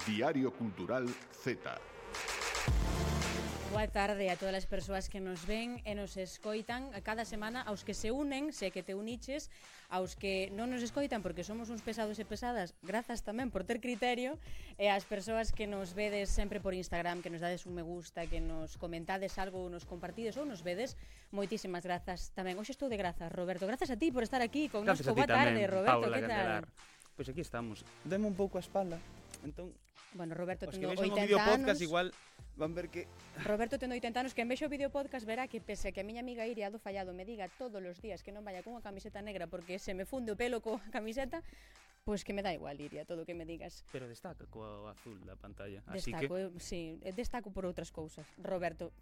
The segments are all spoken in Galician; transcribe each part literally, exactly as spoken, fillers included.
Diario Cultural Z. Boa tarde a todas as persoas que nos ven e nos escoitan a cada semana, aos que se unen, se que te uniches, aos que non nos escoitan porque somos uns pesados e pesadas, grazas tamén por ter criterio, e ás persoas que nos vedes sempre por Instagram, que nos dades un me gusta, que nos comentades algo, nos compartides ou nos vedes, moitísimas grazas tamén. Hoxe estou de grazas, Roberto, grazas a ti por estar aquí con nos. Boa tarde, Roberto, que tal? Pois aquí estamos, deme un pouco a espalda. Entón, bueno, Roberto, os tendo que vexan o oitenta vídeo podcast anos, igual van ver que Roberto tendo oitenta anos, que en vexo o vídeo podcast verá que pese a que a miña amiga Iria do Fallado me diga todos os días que non vaya con unha camiseta negra porque se me funde o pelo coa camiseta, pois que me dá igual, Iria, todo o que me digas. Pero destaca coa azul da pantalla. Así Destaco, que... eu, sí, destaco por outras cousas. Roberto,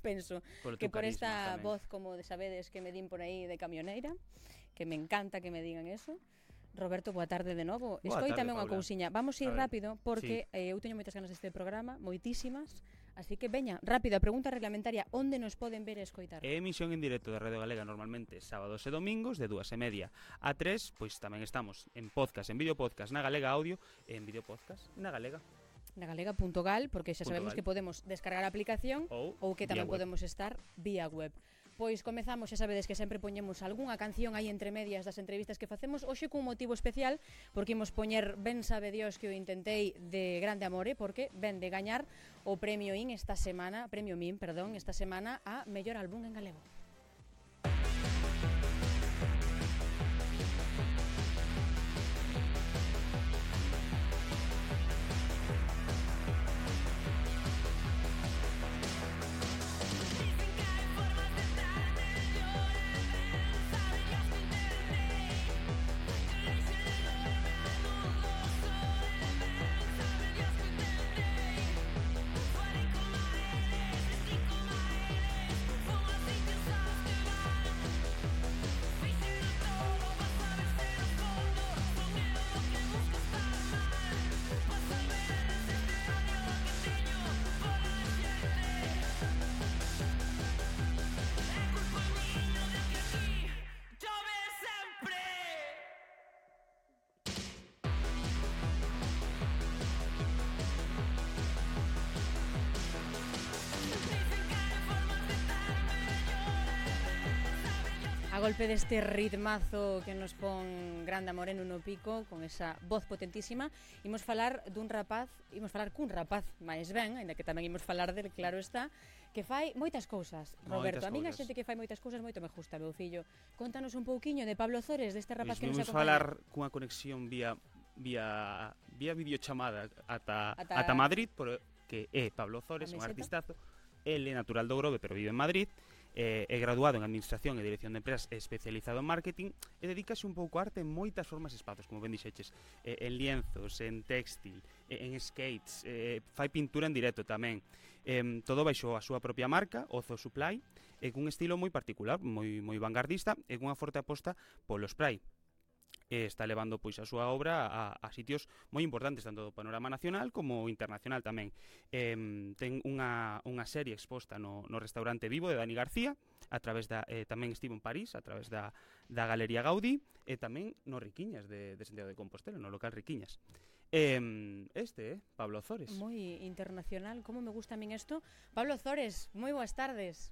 penso por que por carisma, esta tamén. voz, como de sabedes que me din por aí de camioneira, que me encanta que me digan eso. Roberto, boa tarde de novo. Boa Escoítame tarde, unha Paula. cousiña. Vamos ir A ver, rápido porque sí. eh, eu teño moitas ganas deste programa, moitísimas. Así que veña, rápido, a pregunta reglamentaria, onde nos poden ver e escoitar? É emisión en directo da Radio Galega normalmente sábados e domingos de dúas e media a tres, pois tamén estamos en podcast, en vídeo podcast na Galega Audio e en vídeo podcast na Galega. Na galega punto gal, porque xa sabemos Punto gal. que podemos descargar a aplicación Ou ou que tamén vía web. podemos estar vía web. Pois comezamos, xa sabedes que sempre poñemos algunha canción aí entre medias das entrevistas que facemos, hoxe cun motivo especial, porque imos poñer Ben sabe Dios que o intentei de Grande Amore, porque ven de gañar o premio IN esta semana, premio MIN, perdón, esta semana a mellor álbum en galego. A golpe deste ritmazo que nos pon Grande Moreno no pico, con esa voz potentísima, imos falar dun rapaz, imos falar cun rapaz máis ben, ainda que tamén imos falar del, claro está, que fai moitas cousas. Roberto, Moitas a min a cousas. xente que fai moitas cousas moito me gusta, meu fillo. Contanos un pouquiño de Pablo Zores, deste rapaz Pois que nos vimos acompaña. falar cunha conexión vía vía vía videochamada ata Ata- ata Madrid, por que é Pablo Zores, A un meseta. artistazo. El é natural do Grove, pero vive en Madrid. Eh, é graduado en Administración e Dirección de Empresas e especializado en Marketing e dedícase un pouco a arte en moitas formas e espazos, como ben dixeches, eh, en lienzos, en textil, eh, en skates, eh, fai pintura en directo tamén, eh, todo baixo a súa propia marca, Ozo Supply, e cun estilo moi particular, moi moi vanguardista e cunha forte aposta polo spray. E está levando pois a súa obra a, a sitios moi importantes tanto do panorama nacional como internacional tamén. Eh, ten unha, unha serie exposta no, no restaurante Vivo de Dani García, a través da eh, tamén estivo en París, a través da, da Galería Gaudí e tamén no Riquiñas de, de Santiago de Compostela, no local Riquiñas. Eh, este, eh, Pablo Zores. Moi internacional, como me gusta a min isto. Pablo Zores, moi boas tardes.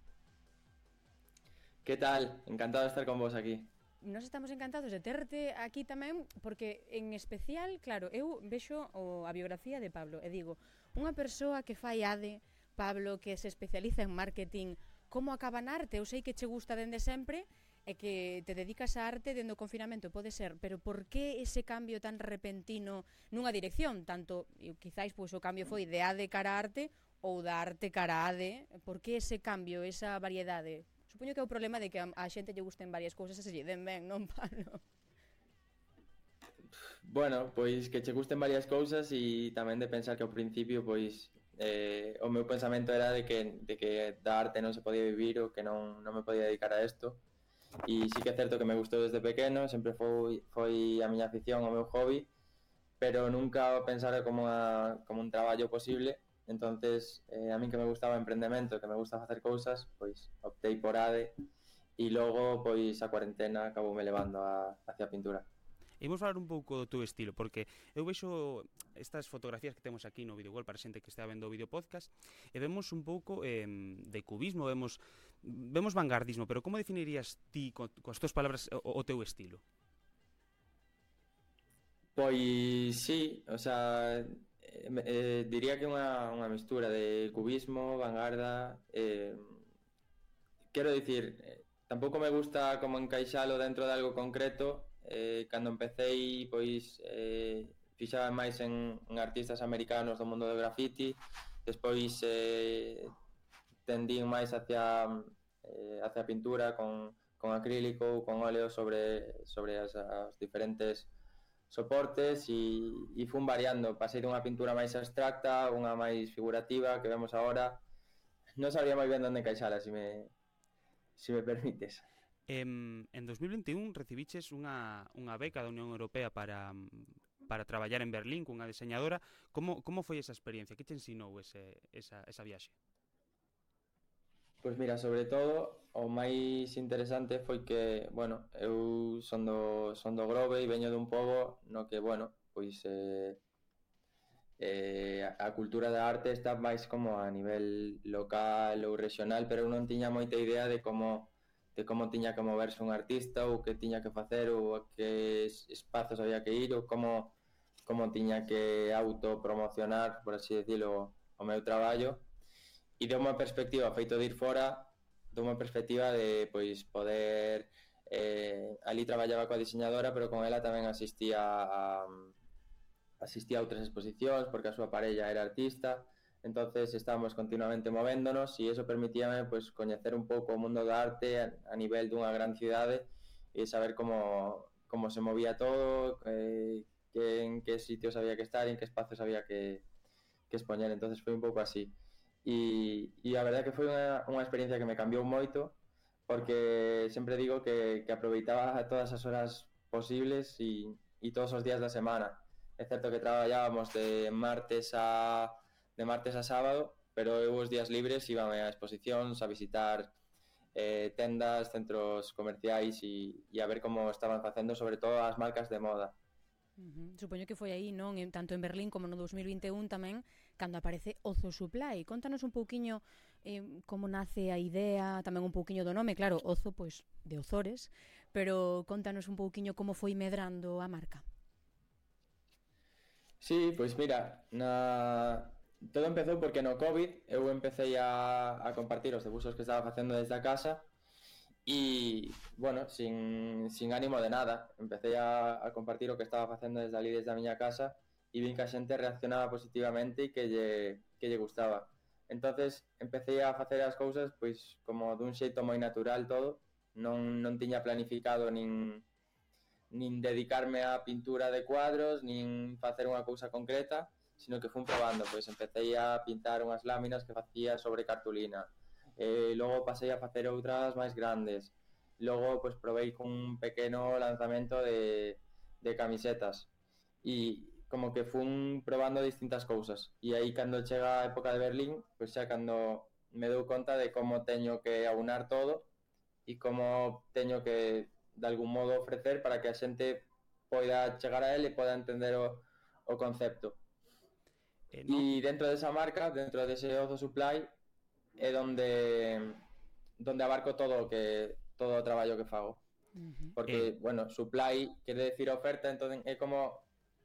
¿Qué tal? Encantado de estar con vos aquí. Nos estamos encantados de terte aquí tamén, porque en especial, claro, eu vexo o, a biografía de Pablo e digo, unha persoa que fai A D E, Pablo, que se especializa en marketing, como acaba na arte? Eu sei que che gusta dende sempre e que te dedicas á arte dende o confinamento, pode ser, pero por que ese cambio tan repentino nunha dirección? Tanto, e quizáis, pois, o cambio foi de A D E cara a arte ou da arte cara a A D E, por que ese cambio, esa variedade? Supoño que é o problema de que a, a xente lle gusten varias cousas e se lle den ben, non, Pablo? Bueno, pois que che gusten varias cousas e tamén de pensar que ao principio pois eh, o meu pensamento era de que, de que da arte non se podía vivir ou que non, non me podía dedicar a isto. E sí que é certo que me gustou desde pequeno, sempre foi, foi a miña afición, o meu hobby, pero nunca o pensara como, a, como un traballo posible. Entonces, eh, a min que me gustaba o emprendemento, que me gusta facer cousas, pois optei por A D E e logo pois a cuarentena acaboume levando a, hacia a pintura. Imos falar un pouco do teu estilo, porque eu vexo estas fotografías que temos aquí no Videogol para xente que está vendo o vídeo podcast, e vemos un pouco eh, de cubismo, vemos vemos vanguardismo, pero como definirías ti, co, coas túas palabras, o, o teu estilo? Pois sí, o sea, eh, eh, diría que unha, unha mistura de cubismo, vanguarda, eh, quero dicir, eh, tampouco me gusta como encaixalo dentro de algo concreto. Eh, cando empecéi, pois, eh, fixaba máis en, en artistas americanos do mundo do graffiti, despois eh, tendín máis hacia eh, hacia a pintura con, con acrílico ou con óleo sobre, sobre as, as diferentes soportes e, e fun variando, pasei dunha pintura máis abstracta, unha máis figurativa que vemos agora. Non sabría moi ben onde encaixala, se me, se me permites. En, en dos mil vinte e un recibiches unha, unha beca da Unión Europea para, para traballar en Berlín cunha diseñadora. Como, como foi esa experiencia? Que te ensinou ese, esa, esa viaxe? Pois mira, sobre todo, o máis interesante foi que, bueno, eu son do, son do Grove e veño dun pobo no que, bueno, pois eh, eh, a cultura da arte está máis como a nivel local ou regional, pero eu non tiña moita idea de como de como tiña que moverse un artista ou que tiña que facer ou a que espazos había que ir ou como, como tiña que autopromocionar, por así decirlo, o meu traballo. E de unha perspectiva feito de ir fora, de unha perspectiva de pois poder eh, ali traballaba coa diseñadora, pero con ela tamén asistía a asistía a outras exposicións porque a súa parella era artista. Entonces estábamos continuamente movéndonos e eso permitíame pois coñecer un pouco o mundo da arte a, a nivel dunha gran cidade e saber como, como se movía todo, eh, que, en que sitios había que estar, en que espacios había que, que expoñer. Entonces foi un pouco así. E, e a verdade que foi unha, unha experiencia que me cambiou moito porque sempre digo que, que aproveitaba todas as horas posibles e, e todos os días da semana. É certo que traballábamos de martes a de martes a sábado, pero eu os días libres íbame a exposicións, a visitar eh, tendas, centros comerciais e, e a ver como estaban facendo, sobre todo as marcas de moda. Uh-huh. Supoño que foi aí, non? En, tanto en Berlín como no dos mil vinte e un tamén, cando aparece Ozo Supply. Contanos un pouquiño eh, como nace a idea, tamén un pouquiño do nome, claro, Ozo, pois, de Ozores, pero contanos un pouquiño como foi medrando a marca. Sí, pois mira, na... todo empezou porque no COVID eu empecé a, a compartir os debuxos que estaba facendo desde a casa e, bueno, sin, sin ánimo de nada. Empecé a, a compartir o que estaba facendo desde ali, desde a miña casa, e vin que a xente reaccionaba positivamente e que lle, que lle gustaba. Entonces empecé a facer as cousas pois como dun xeito moi natural todo, non, non tiña planificado nin, nin dedicarme á pintura de cuadros, nin facer unha cousa concreta, sino que fun probando, pois empecé a pintar unhas láminas que facía sobre cartulina, eh, logo pasei a facer outras máis grandes, logo pois probei cun pequeno lanzamento de, de camisetas, e como que fun probando distintas cousas, e aí cando chega a época de Berlín, pois xa cando me dou conta de como teño que aunar todo, e como teño que, de algún modo, ofrecer para que a xente poida chegar a él e poida entender o, o concepto. E eh, no? dentro desa marca, dentro dese Ozo Supply, é donde donde abarco todo o que todo o traballo que fago. Uh-huh. Porque, eh. bueno, supply quere decir oferta, entón é como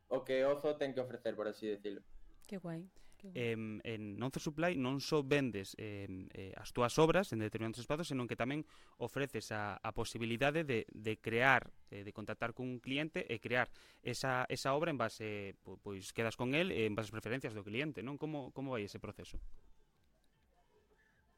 o que Ozo ten que ofrecer, por así decirlo. Que guai. Eh, en Ozo Supply non só vendes eh, eh, as túas obras en determinados espazos, senón que tamén ofreces a, a posibilidade de, de crear, eh, de contactar cun cliente e crear esa, esa obra en base, pois, pois quedas con el en base ás preferencias do cliente, non? Como, como vai ese proceso?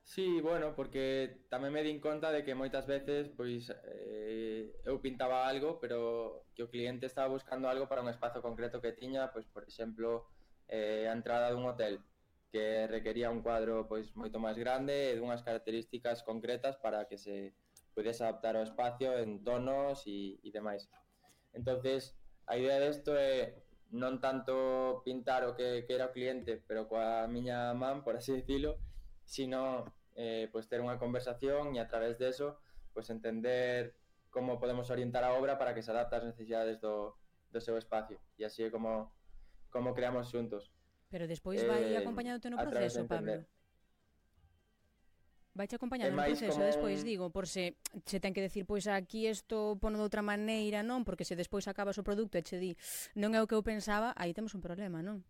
Sí, bueno, porque tamén me din conta de que moitas veces pois eh, eu pintaba algo, pero que o cliente estaba buscando algo para un espazo concreto que tiña, pois por exemplo, eh, a entrada dun hotel que requería un cuadro pois moito máis grande e dunhas características concretas para que se pudese adaptar ao espacio en tonos e, e demais. Entonces, a idea desto é non tanto pintar o que quera o cliente, pero coa miña man, por así decirlo, sino eh, pues ter unha conversación e a través de eso pues entender como podemos orientar a obra para que se adapte ás necesidades do, do seu espacio. E así é como, como creamos xuntos. Pero despois vai Eh, acompañándote no a través proceso, de entender. Pablo. Vai te acompañando É no máis proceso como despois, un- digo, por se se ten que decir, pois aquí isto pono de outra maneira, non? Porque se despois acabas o produto e che di non é o que eu pensaba, aí temos un problema, non?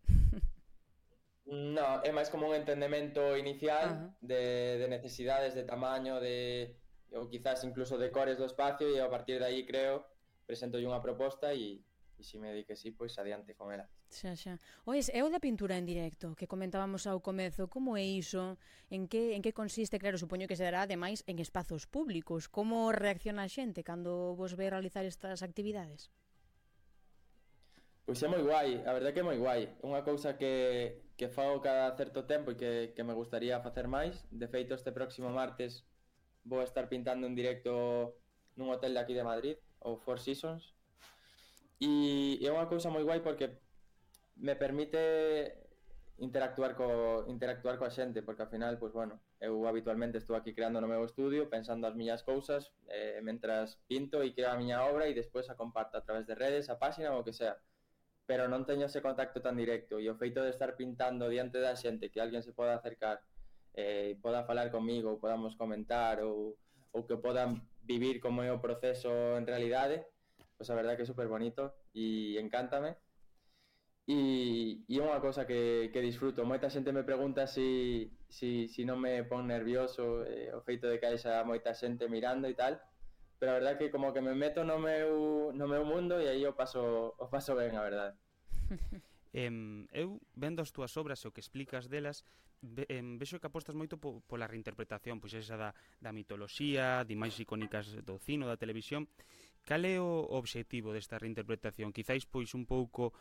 No, é máis como un entendemento inicial Ajá. de, de necesidades, de tamaño, de ou quizás incluso de cores do espacio, e a partir de aí creo, presento unha proposta e, e se me di que sí, pois adiante con ela. Xa, xa. Ois, é o da pintura en directo que comentábamos ao comezo, como é iso? En que en que consiste? Claro, supoño que se dará ademais en espazos públicos. Como reacciona a xente cando vos ve realizar estas actividades? Pois é moi guai, a verdade que é moi guai. É unha cousa que, que fago cada certo tempo e que, que me gustaría facer máis. De feito, este próximo martes vou estar pintando en directo nun hotel de aquí de Madrid, o Four Seasons. E é unha cousa moi guai porque me permite interactuar co interactuar coa xente, porque ao final, pois bueno, eu habitualmente estou aquí creando no meu estudio, pensando as miñas cousas, eh, mentras pinto e creo a miña obra e despois a comparto a través de redes, a páxina ou o que sea. Pero non teño ese contacto tan directo, e o feito de estar pintando diante da xente, que alguén se poda acercar e eh, poda falar comigo, ou podamos comentar, ou, ou que podan vivir como é o proceso en realidade, pois a verdade que é super bonito e encántame. E, e é unha cousa que, que disfruto. Moita xente me pregunta si, si, si non me pon nervioso eh, o feito de que haixa moita xente mirando e tal, pero a verdade que como que me meto no meu, no meu mundo e aí o paso, o paso ben, a verdade. Em, eu, vendo as túas obras e o que explicas delas, ve, em, vexo que apostas moito po, pola reinterpretación, pois esa da, da mitoloxía, de imaxes icónicas do cine, da televisión. Cal é o obxectivo desta reinterpretación? Quizáis, pois, un pouco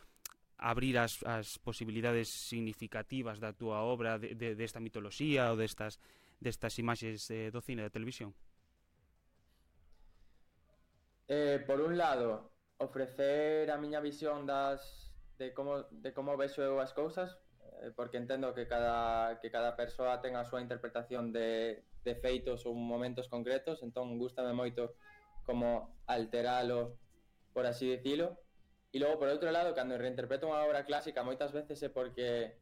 abrir as, as posibilidades significativas da túa obra de, de, desta mitoloxía ou destas, destas imaxes eh, do cine e da televisión? Eh, por un lado, ofrecer a miña visión das de como de como vexo eu as cousas, eh, porque entendo que cada que cada persoa ten a súa interpretación de de feitos ou momentos concretos, entón gústame moito como alteralo, por así dicilo. E logo, por outro lado, cando reinterpreto unha obra clásica, moitas veces é porque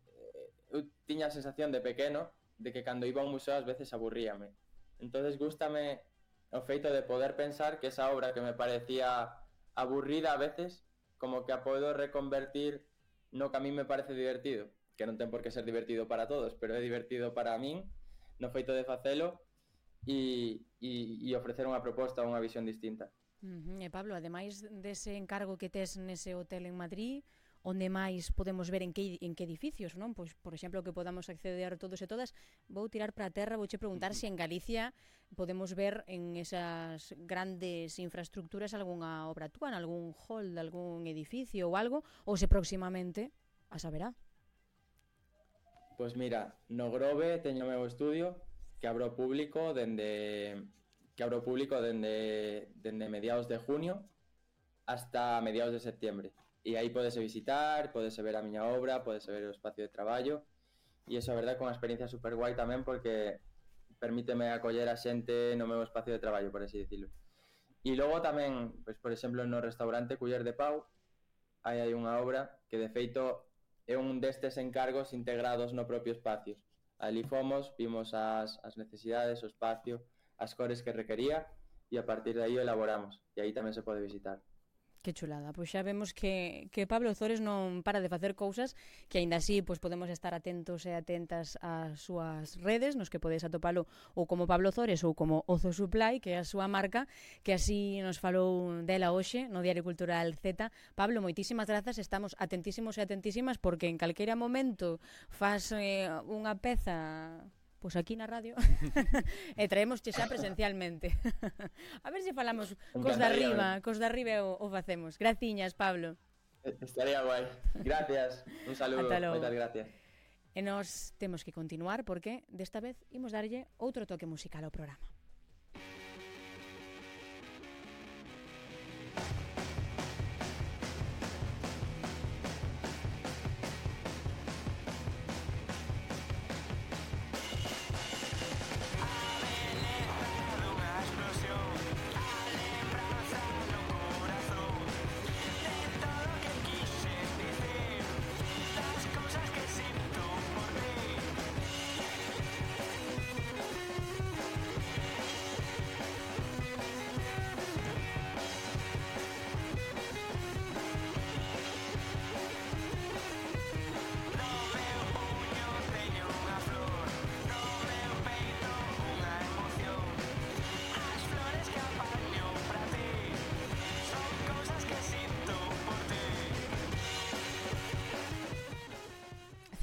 eh, eu tiña a sensación de pequeno de que cando iba a un museo ás veces aburríame. Entonces gústame o feito de poder pensar que esa obra que me parecía aburrida a veces, como que a podo reconvertir no que a mí me parece divertido, que non ten por que ser divertido para todos, pero é divertido para min, no feito de facelo e, e, e ofrecer unha proposta ou unha visión distinta. Uh-huh. E Pablo, ademais dese encargo que tes nese hotel en Madrid, onde máis podemos ver en que, en que edificios, non? Pois, por exemplo, que podamos acceder todos e todas. Vou tirar para a terra, vouche preguntar se en Galicia podemos ver en esas grandes infraestructuras algunha obra túa, en algún hall de algún edificio ou algo, ou se próximamente a saberá. Pois mira, no Grove teño o meu estudio que abro público dende que abro público dende dende mediados de junio hasta mediados de septiembre. E aí podese visitar, podese ver a miña obra, podese ver o espacio de traballo, e iso a verdade é unha experiencia super guai tamén porque permíteme acoller a xente no meu espacio de traballo, por así dicilo. E logo tamén, pois, por exemplo, no restaurante Culler de Pau, aí hai unha obra que de feito é un destes encargos integrados no propio espacio. Ali fomos, vimos as, as necesidades, o espacio, as cores que requería, e a partir de aí elaboramos, e aí tamén se pode visitar. Que chulada, pois xa vemos que, que Pablo Ozores non para de facer cousas que aínda así pois podemos estar atentos e atentas ás súas redes, nos que podes atopalo ou como Pablo Ozores ou como Ozo Supply, que é a súa marca, que así nos falou dela hoxe no Diario Cultural Z. Pablo, moitísimas grazas, estamos atentísimos e atentísimas porque en calquera momento faz eh, unha peza pois aquí na radio e traémosche xa presencialmente. A ver se falamos cos de arriba, cos de arriba o, o facemos. Graciñas, Pablo. Estaría guai. Gracias. Un saludo. Moitas gracias. E nos temos que continuar porque desta vez imos darlle outro toque musical ao programa.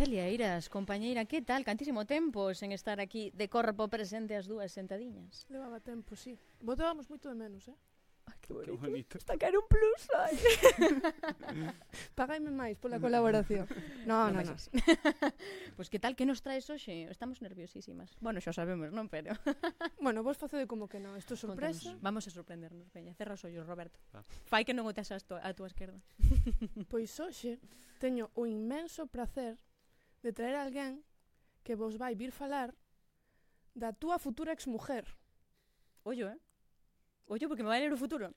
Celia Eiras, compañeira, que tal? Cantísimo tempo sen estar aquí de corpo presente as dúas sentadiñas. Levaba tempo, sí. Votábamos moito de menos, eh? Ai, que bonito. Que bonito. Está caer un plus, ai. Pagáime máis pola colaboración. No, no, no. Pois que tal, que nos traes hoxe? Estamos nerviosísimas. Bueno, xa sabemos, non? Pero... Bueno, vos facede como que non. Isto é sorpresa. Contanos. Vamos a sorprendernos, veña. Cerra os ollos, Roberto. Ah. Fai que non o tes a túa esquerda. Pois hoxe teño o inmenso prazer de traer a alguén que vos vai vir falar da túa futura exmujer. Ollo, eh? Ollo, porque me vai ler o futuro.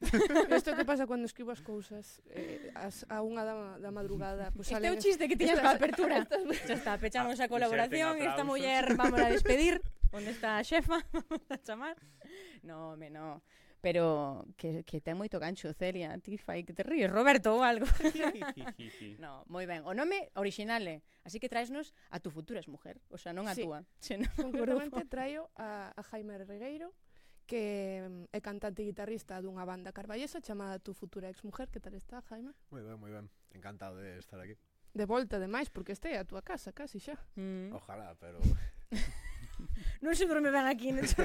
Isto que pasa cando escribo as cousas eh, as, a unha da, da madrugada. Pues Este é o salen chiste que tiñas estas- coa apertura. estas- Xa está, pechamos a Ah, colaboración. inserten Esta aplausos. muller vamos a despedir. Onde está a xefa? Vamos a chamar. No, me no. Pero que, que ten moito gancho, Celia. Ti fai que te ríes, Roberto, ou algo. No, moi ben. O nome original é, así que traesnos a tu futura exmujer. O sea, non a Sí. túa, senón o Concretamente grupo. traio a, a Jaime Regueiro, que mm, é cantante e guitarrista dunha banda carballesa chamada Tu Futura Exmujer. Que tal está, Jaime? Moi ben, moi ben. Encantado de estar aquí. De volta, ademais, porque este é a túa casa, casi xa. Mm. Ojalá, pero Non se dorme ben aquí, non se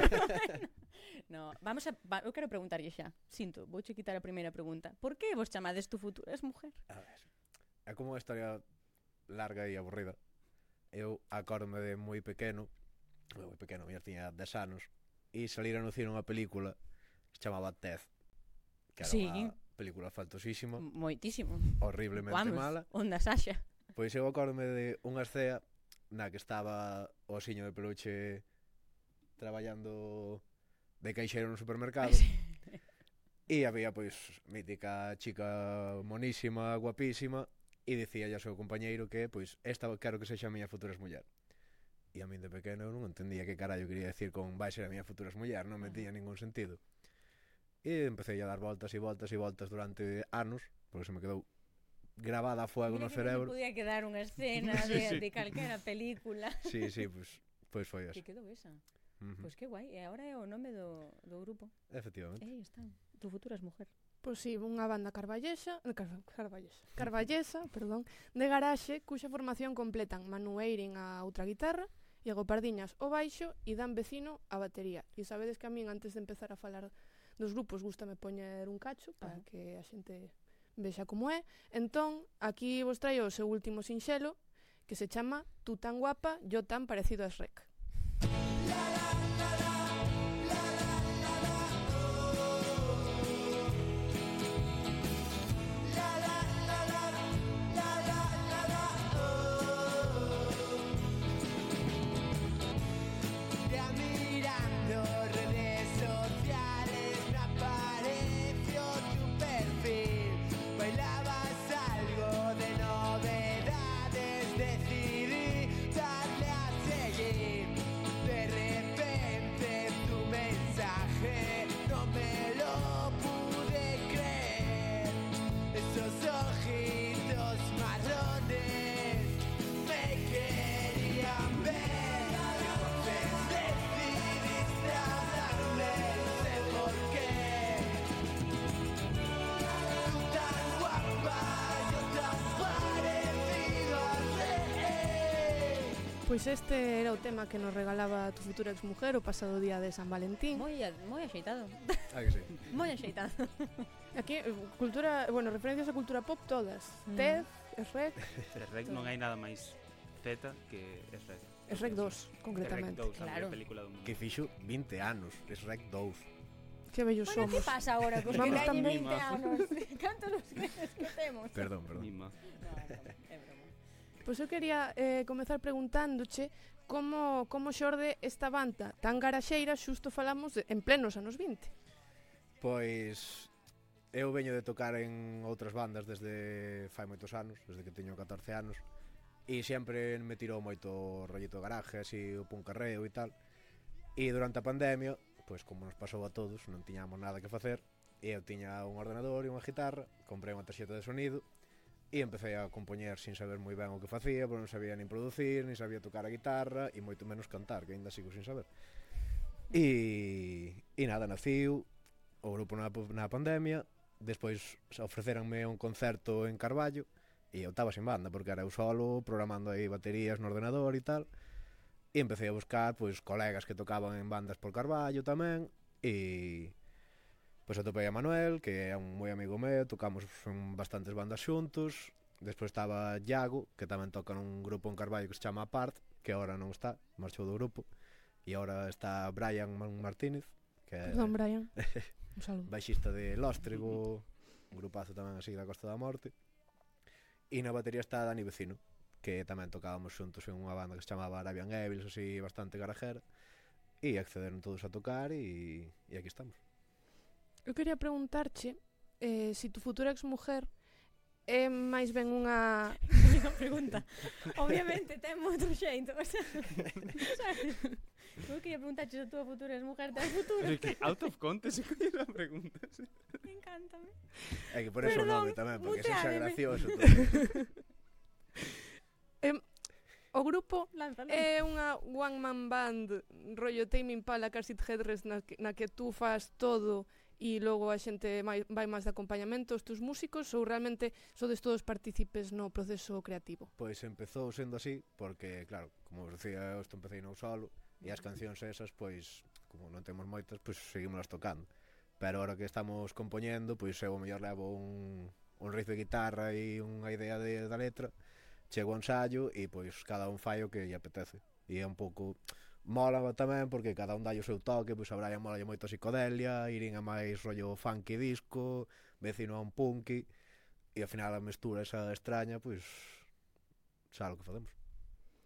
No, vamos a, va, eu quero preguntarlle xa. Sinto, vouche quitar a primeira pregunta. Por que vos chamades tu futura exmujer? a ver, é como unha historia larga e aburrida. Eu acórdome de moi pequeno, moi pequeno, mira, tiña dez anos, e salira no cine unha película que se chamaba Ted, que era Sí. unha película faltosísima, Moitísimo. horriblemente Vamos, mala. onda Sasha. Pois eu acórdome de unha escena na que estaba o osiño de peluche traballando de caixeiro no supermercado. E había, pois, mítica chica monísima, guapísima, e dicía ao seu compañeiro que, pois, esta quero que sexa a miña futura muller. E a min de pequeno eu non entendía que carallo quería decir con vai ser a miña futura muller, non me tiña ningún sentido. E empecé a dar voltas e voltas e voltas durante anos, porque se me quedou grabada a fuego Mira no que non cerebro. se podía quedar unha escena Sí, de, sí. de calquera película. Sí, sí, pois, pois foi Que eso. quedou esa. Uh -huh. Pois que guai, e agora é o nome do, do grupo. Efectivamente. E aí está, tu futura exmujer. Pois si, unha banda carballesa, eh, car, carballesa, carballesa, perdón, de garaxe, cuxa formación completan Manu Eirin a outra guitarra, Iago Pardiñas o baixo e Dan Vecino a batería. E sabedes que a min, antes de empezar a falar dos grupos, gústame poñer un cacho para Ajá. que a xente vexa como é. Entón, aquí vos traio o seu último sinxelo, que se chama Tú tan guapa, yo tan parecido a Shrek. Ya mirando redes sociales me apareció tu perfil. Bailabas algo de novedades, decidí darle a seguir. De repente tu mensaje no me lo pude creer. Esos ojitos marrones me querían ver. Decidiste hablarme, no sé por qué. Tú tan guapa, yo tan parecido a Rey. Pois este era o tema que nos regalaba Tu Futura Exmujer o pasado día de San Valentín. Moi, a- moi axeitado. Ah, que sí. Moi axeitado. Aquí, eh, cultura, bueno, referencias a cultura pop todas. Mm. Ted, Shrek, De Rec non hai nada máis Z que Shrek. Shrek dos, concretamente. Rec dous, a Claro. mellor película do mundo. Que fixo vinte anos, es Rec dous. Que bellos Bueno, que somos. pasa agora cos que Vamos gañen tamén. vinte anos? Cantos os crees que temos? Perdón, perdón. Mima. No, é broma, é broma. Pois eu quería eh, comezar preguntándoche como, como xorde esta banda tan garaxeira, xusto falamos de, en plenos anos vinte. Pois eu veño de tocar en outras bandas desde fai moitos anos, desde que teño catorce anos, e sempre me tirou moito o rollito de garaje, así o puncarreo e tal. E durante a pandemia, pois como nos pasou a todos, non tiñamos nada que facer, e eu tiña un ordenador e unha guitarra, comprei unha tarxeta de sonido e empecé a compoñer sin saber moi ben o que facía, porque non sabía nin producir, nin sabía tocar a guitarra e moito menos cantar, que aínda sigo sin saber. E, e nada, naciu o grupo na, na pandemia, despois ofrecéranme un concerto en Carballo E eu estaba sin banda, porque era eu solo, programando aí baterías no ordenador e tal. E empecé a buscar, pois, colegas que tocaban en bandas por Carballo tamén. E pois atopei a Manuel, que é un moi amigo meu, tocamos en bastantes bandas xuntos. Despois estaba Iago, que tamén toca nun grupo en Carballo que se chama Apart, que agora non está, marchou do grupo. E agora está Brian Martínez, que é Perdón, Brian. Un saludo. baixista de Lóstrego, un grupazo tamén así da Costa da Morte. E na batería está Dani Vecino, que tamén tocábamos xuntos en unha banda que se chamaba Arabian Evils, así bastante garajera. E accederon todos a tocar e, e aquí estamos. Eu quería preguntarche eh, si tu futura exmujer é máis ben unha... Unha pregunta. Obviamente ten outro xeito, o sea, sabes? Eu quería preguntarche se a túa futura exmujer ten futuro. Pero que out of context se coñe a pregunta. Encántame. É que por eso o Perdón, nome tamén, porque se xa muteádeme. gracioso todo. Eh, o grupo Lánzalo. é unha one man band rollo Tame Impala, Car Seat Headrest na que, na que tú fas todo e logo a xente mai, vai máis de acompañamento os teus músicos, ou realmente sodes todos partícipes no proceso creativo? Pois empezou sendo así, porque, claro, como vos decía, eu isto empecé non solo, e as cancións esas, pois, como non temos moitas, pois seguimos tocando. Pero ahora que estamos compoñendo, pois eu o mellor levo un, un riff de guitarra e unha idea de, da letra, chego ao ensayo e pois cada un fai o que lle apetece. E é un pouco... Mola tamén porque cada un dai o seu toque, pois a Brian mola moito a psicodelia, Irin a máis rollo funky disco, Vecino a un punky, e ao final a mestura esa extraña, pois xa o que facemos.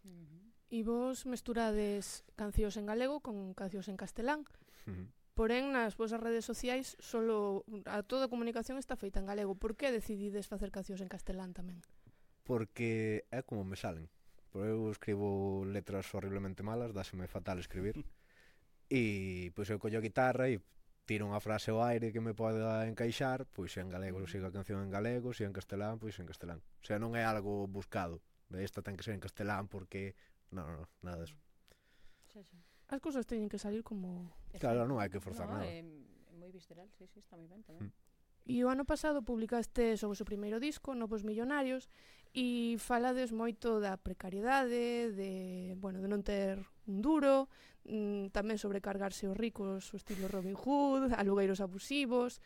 Uh-huh. E vos mesturades cancións en galego con cancións en castelán, Uh -huh. porén nas vosas redes sociais solo a toda a comunicación está feita en galego. Por que decidides facer cancións en castelán tamén? Porque é como me salen. Pero eu escribo letras horriblemente malas, dáseme fatal escribir. E pois eu collo a guitarra e tiro unha frase ao aire que me poda encaixar, pois en galego eu sigo a canción en galego, se en castelán, pois en castelán. O sea, non é algo buscado. De esta ten que ser en castelán porque... Non, non, non, nada deso. Xa, xa. As cousas teñen que salir como... Claro, non hai que forzar no, nada. É, é moi visceral, sí, sí, está moi ben tamén. Mm. E o ano pasado publicaste o vosso primeiro disco, Novos Millonarios, e falades moito da precariedade, de, bueno, de non ter un duro, mm, tamén sobrecargarse os ricos, o estilo Robin Hood, alugueiros abusivos.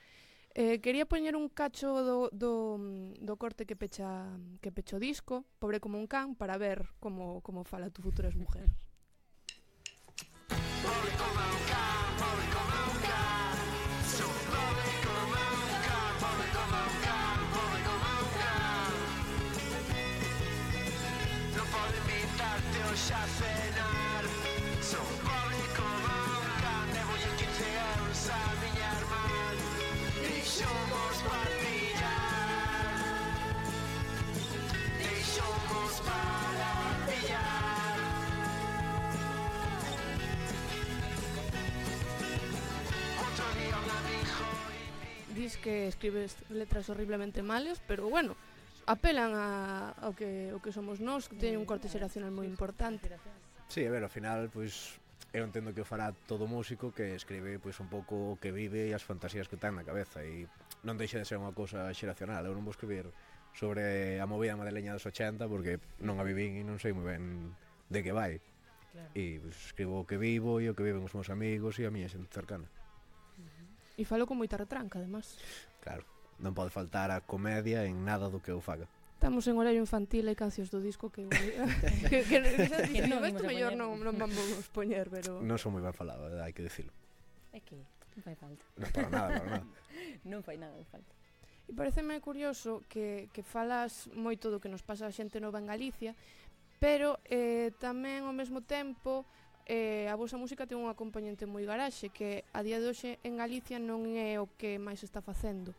Eh, quería poñer un cacho do, do, do corte que pecha que pecho o disco, Pobre como un can, para ver como, como fala tu futura mujer. Pobre como un can, pobre como un can. Son pobre como un can, pobre como un can, pobre como un can. Non podo invitarte hoxe a cenar. Son pobre como un can, debolle quince euros a miña irmán. Deixomos partillar, deixomos para pillar. Outro día un amigo Dis que escribes letras horriblemente males, pero bueno, apelan a, ao que, o que somos nós, que teñen un corte xeracional moi importante. Sí, a ver, ao final, pois, eu entendo que o fará todo músico que escribe pois un pouco o que vive e as fantasías que ten na cabeza e non deixa de ser unha cousa xeracional. Eu non vou escribir sobre a movida madrileña dos ochenta porque non a vivín e non sei moi ben de que vai. Claro. E pois, escribo o que vivo e o que viven os meus amigos e a miña xente cercana. E falo con moita retranca, además. Claro, non pode faltar a comedia en nada do que eu faga. Estamos en horario infantil e cancións do disco que... que, que, que, que non no, imos isto a mellor poñer. non, non vamos poñer, pero... Non son moi ben falado, hai que dicilo. É que non fai falta. Non para nada, para nada. Non fai nada de falta. E pareceme curioso que, que falas moito do que nos pasa a xente nova en Galicia, pero eh, tamén ao mesmo tempo eh, a vosa música ten unha componente moi garaxe, que a día de hoxe en Galicia non é o que máis está facendo.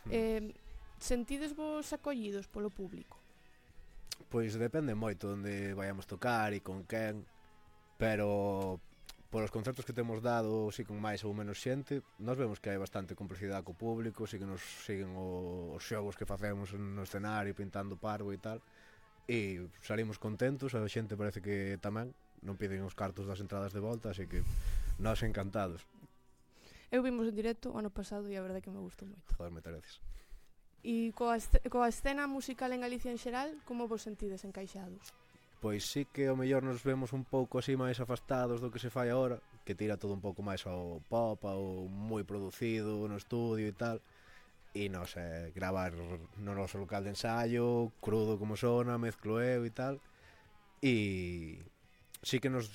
Eh, sentides vos acollidos polo público? Pois depende moito onde vayamos tocar e con quen, pero polos concertos que temos dado, si con máis ou menos xente, nós vemos que hai bastante complicidade co público, si que nos siguen o, os xogos que facemos no escenario, pintando parvo e tal, e salimos contentos, a xente parece que tamén, non piden os cartos das entradas de volta, así que nós encantados. Eu vimos en directo o ano pasado e a verdade que me gustou moito. Joder, moitas gracias. E coa, esce- coa escena musical en Galicia en xeral, como vos sentides encaixados? Pois sí que ao mellor nos vemos un pouco así máis afastados do que se fai agora, que tira todo un pouco máis ao pop, ao moi producido no estudio e tal. E nos eh, gravar no noso local de ensayo, crudo como sona, mezclo eu e tal. E sí que nos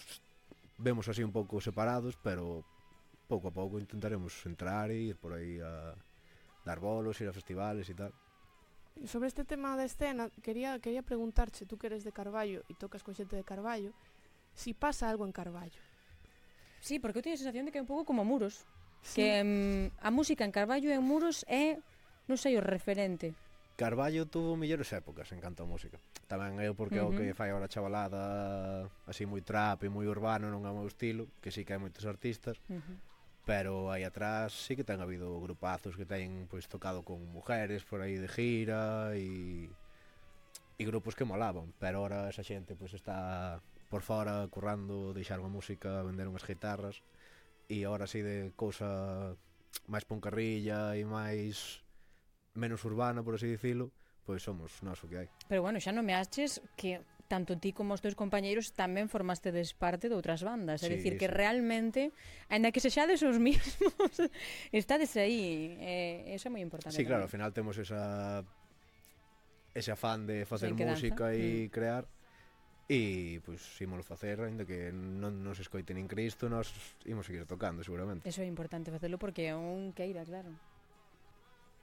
vemos así un pouco separados, pero pouco a pouco intentaremos entrar e ir por aí a dar bolos, ir a festivales e tal. Sobre este tema da escena, quería, quería preguntarche, tú que eres de Carballo e tocas con xente de Carballo, si pasa algo en Carballo. Sí, porque eu teño a sensación de que é un pouco como Muros. Sí. Que mm, a música en Carballo e en Muros é, non sei, o referente. Carballo tuvo mellores épocas en canto a música. Tamén eu porque uh -huh. o que fai agora a chavalada así moi trap e moi urbano non é o meu estilo, que sí que hai moitos artistas. Uh -huh. Pero aí atrás sí que ten habido grupazos que teñen pois tocado con mujeres por aí de gira e e grupos que molaban, pero ahora esa xente pois está por fora currando, deixaron a música, venderon as guitarras e ahora así de cousa máis poncarrilla e máis menos urbana, por así dicilo, pois somos nós o que hai. Pero bueno, xa non me aches que tanto ti como os teus compañeiros tamén formastedes parte de outras bandas, é Sí, dicir, que sí. realmente, aínda que sexades os mismos, estades aí, eh, eso é moi importante. Sí, claro, ao tamén. final temos esa ese afán de facer Esa inquedanza. música Mm. e crear e pois ímolo facer, ainda que non nos escoite nin Cristo, nós imos seguir tocando seguramente. Eso é importante facelo porque é un queira, claro.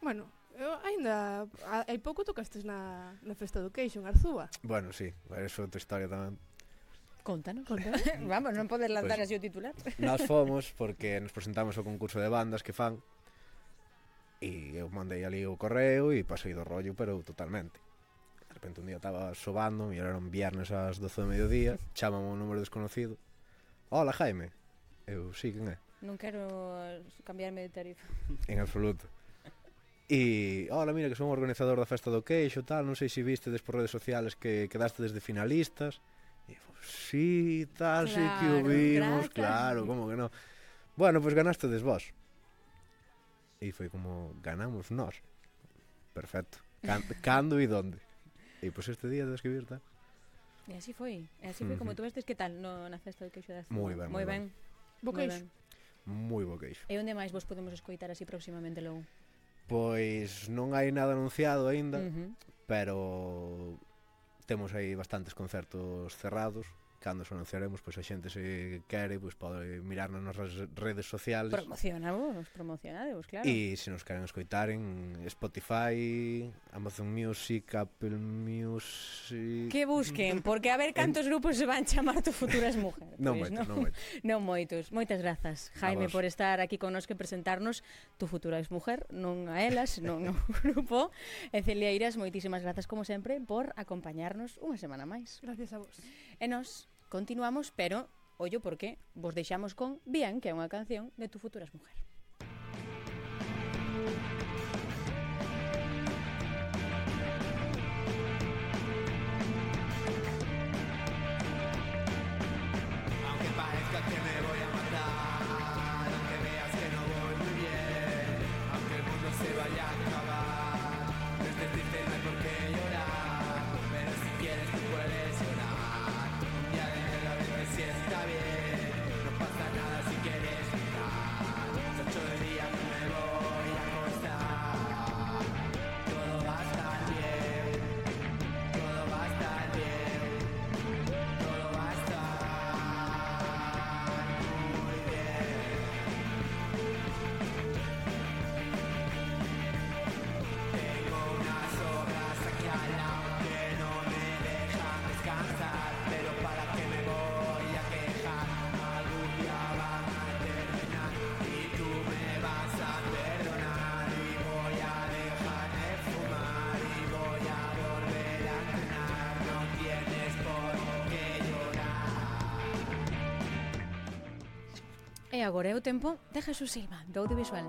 Bueno, eu aínda ha- hai pouco tocastes na, na Festa do Queixo en Arzúa. Bueno, sí, eso é outra historia tamén. Contanos. Contanos. Vamos, non podes lanzar Pois- así o titular. Nós fomos porque nos presentamos ao concurso de bandas que fan e eu mandei ali o correo e pasei do rollo, pero totalmente. De repente un día estaba sobando e era un viernes ás doce do mediodía, chámame un número desconocido. Hola, Jaime. Eu, sí, quen é? Non quero cambiarme de tarifa. En absoluto. E, hola, mira, que son o organizador da Festa do Queixo, tal, non sei se viste por redes sociales que quedaste desde finalistas. E, pues, sí, tal, sí que o Claro, vimos, grazas. claro, como que non. Bueno, pois pues ganaste des vos. E foi como, ganamos nós. Perfecto. Can, cando e donde? E, pois pues, este día de escribir, tal. E así foi. E así foi como Ujú. tú vestes que tal no, na Festa do Queixo da Azúa. Moi ben, moi moi ben. Bo moi queixo. ben. Moi bo queixo. E onde máis vos podemos escoitar así próximamente logo? Pois non hai nada anunciado aínda, Uh -huh. pero temos aí bastantes concertos cerrados. Cando os anunciaremos, pois a xente se quere, pois pode mirar nas nosas redes sociales. Promocionavos, promocionadevos, claro. E se nos queren escoitar en Spotify, Amazon Music, Apple Music... Que busquen, porque a ver cantos grupos se van chamar Tu Futuras Mujer. Non Pois moitos, non moitos. Non moitos. Moitas grazas, Jaime, vos. por estar aquí connosco e presentarnos Tu Futura Mujer, non a elas, non ao grupo. E Celieiras, moitísimas grazas como sempre por acompañarnos unha semana máis. Gracias a vos. E nós continuamos, pero ollo porque vos deixamos con Bien, que é unha canción de Tu Futuras Mujer. Aunque parezca que me voy a matar, aunque veas que no voy muy bien, aunque el mundo se vaya a acabar, no estés triste, no hay por qué llorar, pero si quieres tú puedes llorar. Un día de mierda a veces sí está bien, no pasa nada si quieres llorar. Son ocho de día que me voy a acostar, todo va a estar bien, todo va a estar bien, todo va a estar muy bien. Tengo unas obras aquí al lado que no me dejan descansar, pero para qué me voy a quejar, algún día van a terminar y tú me vas a perdonar y voy a dejar de fumar y voy a volver a entrenar, no tienes por qué llorar. E agora é o tempo de Jesús Silva, do audiovisual.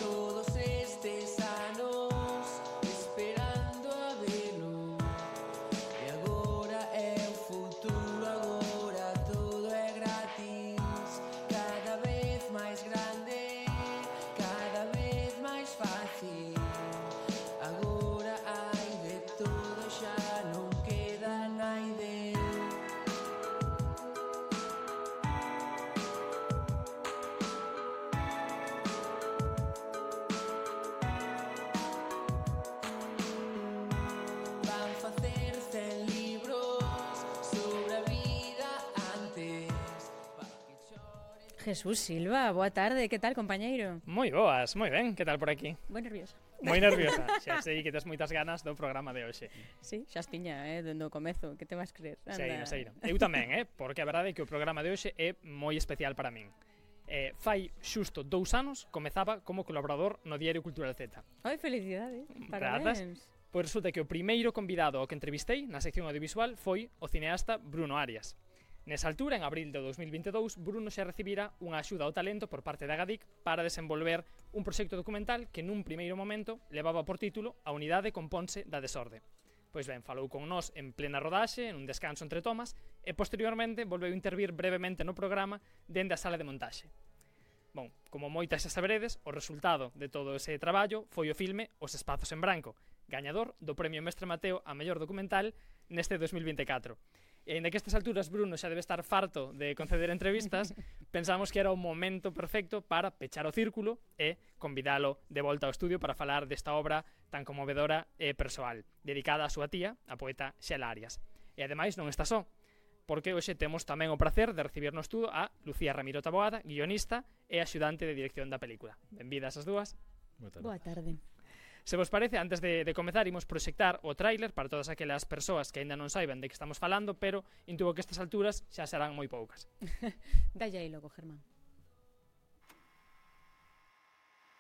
Todos estes anos esperando a velo e agora Jesús Silva, boa tarde, que tal, compañeiro? Moi boas, moi ben, que tal por aquí? Moi nerviosa. Moi nerviosa, xa sei que tes moitas ganas do programa de hoxe. Sí, xa as tiña, eh, dende o comezo, que te vas creer? Seino, seino. Eu tamén, eh, porque a verdade é que o programa de hoxe é moi especial para min. Eh, fai xusto dous anos comezaba como colaborador no Diario Cultural Z. Oi, felicidades, parabéns. Pois resulta que o primeiro convidado ao que entrevistei na sección audiovisual foi o cineasta Bruno Arias. Nesa altura, en abril de dos mil vinte e dous, Bruno xa recibira unha axuda ao talento por parte da Agadic para desenvolver un proxecto documental que nun primeiro momento levaba por título A unidade componse da desorde. Pois ben, falou con nós en plena rodaxe, en un descanso entre tomas, e posteriormente volveu intervir brevemente no programa dende a sala de montaxe. Bon, como moitas xa saberedes, o resultado de todo ese traballo foi o filme Os espazos en branco, gañador do Premio Mestre Mateo a mellor documental neste dos mil vinte e catro. E ainda que a estas alturas Bruno xa debe estar farto de conceder entrevistas, pensamos que era o momento perfecto para pechar o círculo e convidalo de volta ao estudio para falar desta obra tan conmovedora e persoal, dedicada á súa tía, a poeta Xela Arias. E ademais non está só, porque hoxe temos tamén o prazer de recibir no estudo a Lucía Ramiro Taboada, guionista e axudante de dirección da película. Benvidas as dúas. Boa tarde. Boa tarde. Se vos parece, antes de, de comezar, imos proxectar o tráiler para todas aquelas persoas que aínda non saiban de que estamos falando, pero intuo que estas alturas xa serán moi poucas. Dalle aí logo, Germán.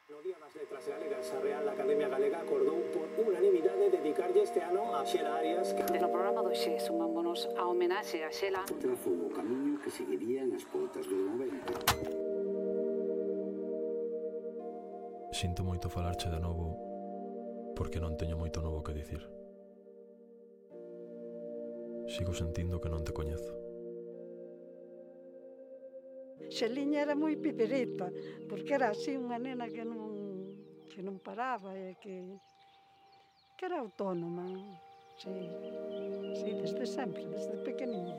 No Día das Letras Galegas, a Real Academia Galega acordou por unanimidade dedicarlle este ano a Xela Arias. Que... No programa do Xe sumámonos a homenaxe a Xela. Trazou o camiño que seguirían as poetas do noventa. Sinto moito falarche de novo porque non teño moito novo que dicir. Sigo sentindo que non te coñezo. Xeliña era moi pipereta, porque era así unha nena que non, que non paraba e que, que era autónoma. Sí, sí, desde sempre, desde pequeniña.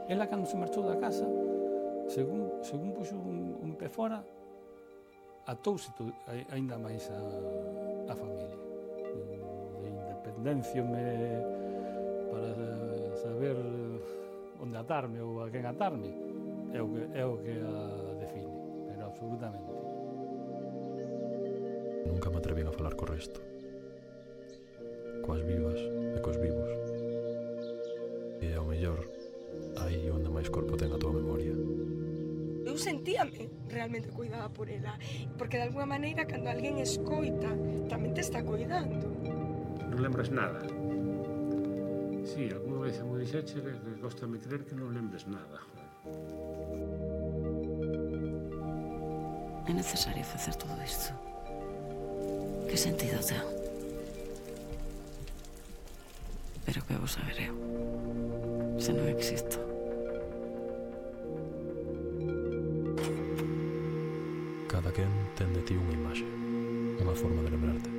Ela, cando se marchou da casa, según, según puxo un, un pé fora, atouse aínda máis a, a familia. De independencia me para saber onde atarme ou a quen atarme é o que, é o que a define, pero absolutamente. Nunca me atrevín a falar co resto, coas vivas e cos vivos, e ao mellor aí onde máis corpo ten a tua memoria. Eu sentíame realmente cuidada por ela, porque de alguna maneira cando alguén escoita tamén te está cuidando. Non lembras nada? Sí, alguna vez me dixeche que costame creer que non lembres nada. É necesario facer todo isto. Que sentido ten? Pero que vou saber eu, se non existo. Cada quen ten de ti unha imaxe, unha forma de lembrarte.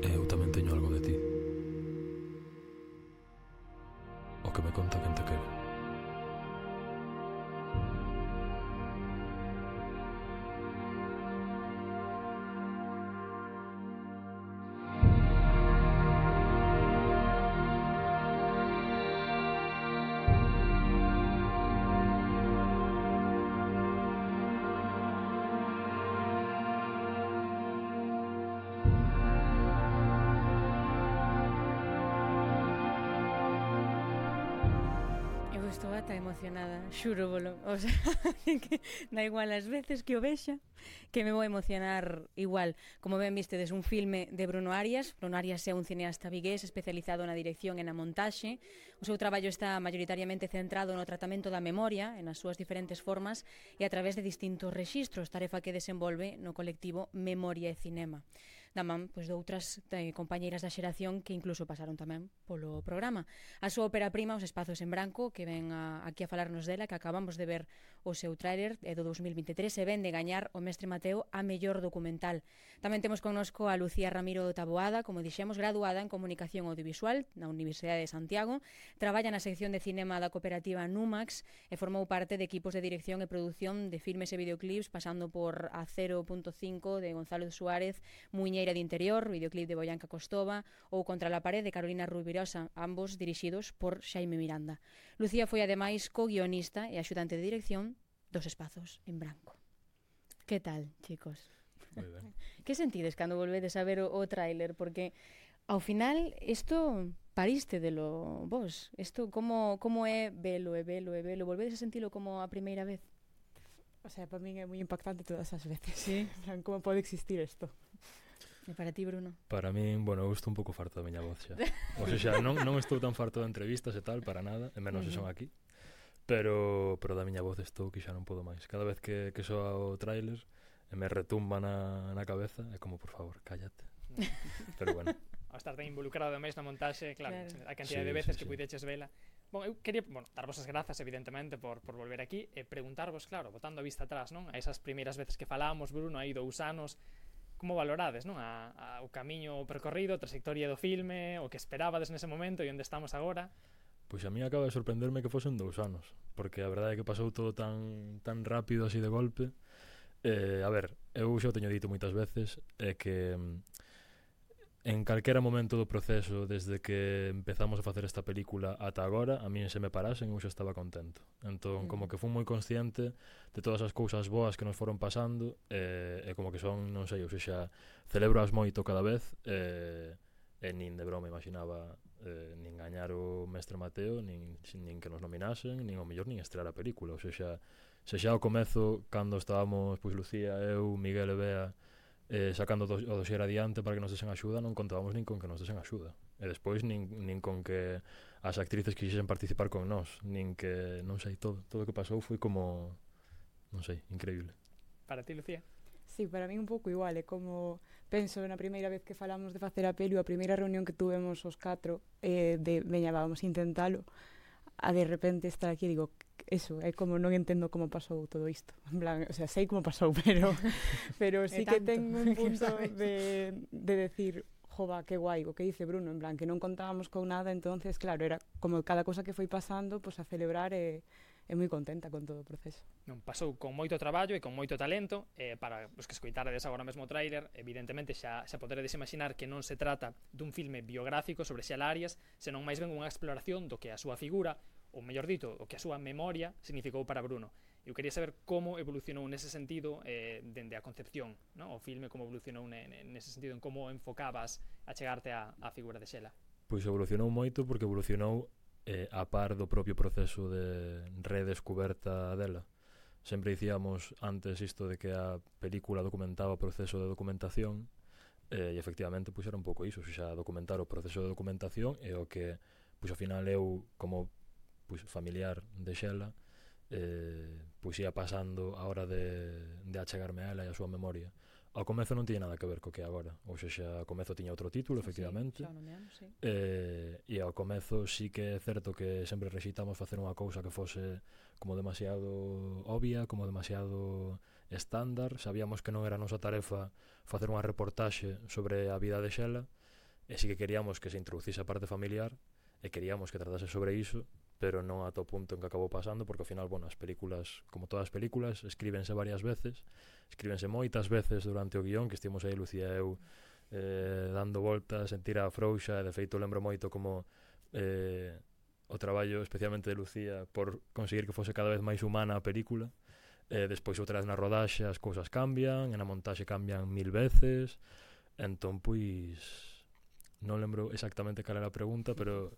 E eu tamén teño algo de ti. O que me conta quen te quere. Estou ata emocionada, xuro bolo. O sea, que da igual as veces que o vexa, que me vou emocionar igual. Como ben vistedes, un filme de Bruno Arias. Bruno Arias é un cineasta vigués especializado na dirección e na montaxe. O seu traballo está maioritariamente centrado no tratamento da memoria, en as súas diferentes formas, e a través de distintos rexistros, tarefa que desenvolve no colectivo Memoria e Cinema. Da man, pois, de outras eh, compañeiras da xeración que incluso pasaron tamén polo programa. A súa ópera prima, Os espazos en branco, que ven a, aquí a falarnos dela, que acabamos de ver o seu tráiler, é do dous mil vinte e tres, e ven de gañar o Mestre Mateo a mellor documental. Tamén temos connosco a Lucía Ramiro Taboada, como dixemos, graduada en Comunicación Audiovisual na Universidade de Santiago, traballa na sección de cinema da cooperativa Numax e formou parte de equipos de dirección e produción de filmes e videoclips, pasando por A cero punto cinco de Gonzalo Suárez, Muñe Muñeira de Interior, videoclip de Boyanca Costova, ou Contra la pared de Carolina Rubirosa, ambos dirixidos por Xaime Miranda. Lucía foi ademais co-guionista e axudante de dirección dos Espazos en Branco. Que tal, chicos? Moi ben. Que sentides cando volvedes a ver o, o tráiler? Porque ao final isto pariste delo vos. Isto como, como é velo e velo e velo? Volvedes a sentilo como a primeira vez? O sea, para min é moi impactante todas as veces. Sí. Como pode existir isto? E para ti, Bruno? Para min, bueno, eu estou un pouco farto da miña voz xa. O sea, non, non estou tan farto de entrevistas e tal, para nada, e menos se son aquí. Pero, pero da miña voz estou que xa non podo máis. Cada vez que, que soa o tráiler e me retumba na, na cabeza, é como, por favor, cállate. Pero bueno. Ao estar tan involucrado máis na montaxe, claro, Claro. a cantidad Sí, de veces sí, que sí. puideches vela. Bon, eu quería, bueno, darvos as grazas, evidentemente, por, por volver aquí e preguntarvos, claro, botando a vista atrás, non? A esas primeiras veces que falamos, Bruno, aí dous anos, como valorades, non? A, a, o camiño percorrido, a trayectoria do filme, o que esperabades nese momento e onde estamos agora. Pois a mí acaba de sorprenderme que fosen dous anos, porque a verdade é que pasou todo tan, tan rápido así de golpe. Eh, a ver, eu xa o teño dito moitas veces, é que en calquera momento do proceso, desde que empezamos a facer esta película ata agora, a mí se me parasen eu xa estaba contento. Entón, como que fui moi consciente de todas as cousas boas que nos foron pasando, e, e como que son, non sei, ou seja, celebroas moito cada vez, e, e nin de broma imaginaba eh, nin gañar o Mestre Mateo, nin, nin que nos nominasen, nin ao mellor nin estrear a película. Ou seja, se xa ao comezo, cando estábamos, pois Lucía, eu, Miguel e Bea, eh, sacando do, o dossier adiante para que nos desen axuda, non contábamos nin con que nos desen axuda. E despois nin, nin con que as actrices quixesen participar con nós, nin que, non sei, todo, todo o que pasou foi como, non sei, increíble. Para ti, Lucía? Sí, para mí un pouco igual, é como penso na primeira vez que falamos de facer a peli, a primeira reunión que tuvemos os catro, eh, de, veña, vamos intentalo, a de repente estar aquí, digo, eso, é como non entendo como pasou todo isto. En plan, o sea, sei como pasou, pero pero sí que ten un punto de, de decir, jova, que guai, o que dice Bruno, en plan, que non contábamos con nada, entonces, claro, era como cada cosa que foi pasando, pues a celebrar e, e moi contenta con todo o proceso. Non, pasou con moito traballo e con moito talento, eh, para os que escoitaredes agora mesmo o tráiler, evidentemente xa, xa poderedes imaginar que non se trata dun filme biográfico sobre Xela Arias, senón máis ben unha exploración do que a súa figura, ou mellor dito, o que a súa memoria significou para Bruno. Eu quería saber como evolucionou nese sentido eh, dende a concepción, ¿no? O filme, como evolucionou nese sentido, en como enfocabas a chegarte á, á figura de Xela. Pois evolucionou moito porque evolucionou eh, a par do propio proceso de redescuberta dela. Sempre dicíamos antes isto de que a película documentaba o proceso de documentación, eh, e efectivamente pois era un pouco iso, xa documentar o proceso de documentación e o que, pois ao final eu, como pois familiar de Xela, eh, pois ia pasando a hora de, de achegarme a ela e a súa memoria. Ao comezo non tiña nada que ver co que agora, ou seja, ao comezo tiña outro título, efectivamente, sí, nomeamos, sí. eh, e ao comezo sí que é certo que sempre rexitamos facer unha cousa que fose como demasiado obvia, como demasiado estándar. Sabíamos que non era a nosa tarefa facer unha reportaxe sobre a vida de Xela, e sí que queríamos que se introducise a parte familiar, e queríamos que tratase sobre iso, pero non ata o punto en que acabou pasando, porque ao final, bueno, as películas, como todas as películas, escríbense varias veces, escríbense moitas veces durante o guión, que estivemos aí Lucía e eu eh, dando voltas en tira frouxa, e de feito lembro moito como eh, o traballo especialmente de Lucía por conseguir que fose cada vez máis humana a película, eh, despois outra vez na rodaxe as cousas cambian, e na montaxe cambian mil veces, entón pois non lembro exactamente cal era a pregunta, pero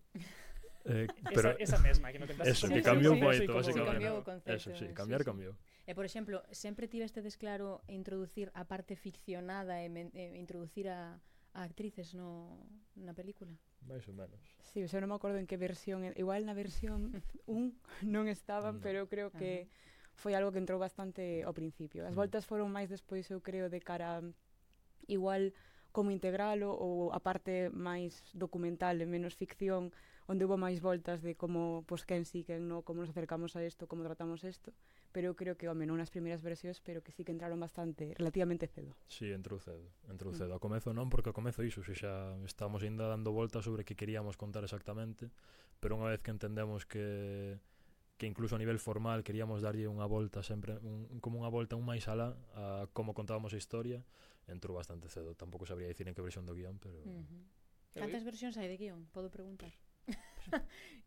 Eh, pero esa, esa mesma que non tentaste. Eso, Sí, que sí, cambiou sí, moito, sí, basicamente. Cambiou o concepto. Eso, sí, cambiar sí, sí. cambiou. E, por exemplo, sempre tivestedes claro introducir a parte ficcionada e, men, e introducir a, a actrices no, na película? Mais ou menos. Sí, o sea, non me acordo en que versión, igual na versión un non estaban, No. pero creo que foi algo que entrou bastante ao principio. As voltas foron máis despois, eu creo, de cara igual como integralo ou a parte máis documental e menos ficción, onde hubo máis voltas de como, pois, quen sí, quen no, como nos acercamos a isto, como tratamos isto, pero eu creo que, home, non nas primeiras versións, pero que sí que entraron bastante, relativamente cedo. Sí, entrou cedo, entrou cedo. Ao comezo non, porque ao comezo iso, se xa estábamos ainda dando voltas sobre que queríamos contar exactamente, pero unha vez que entendemos que que incluso a nivel formal queríamos darlle unha volta sempre, un, como unha volta un máis alá a como contábamos a historia, entrou bastante cedo. Tampouco sabría dicir en que versión do guión, pero... Uh-huh. Cantas versións hai de guión? Podo preguntar?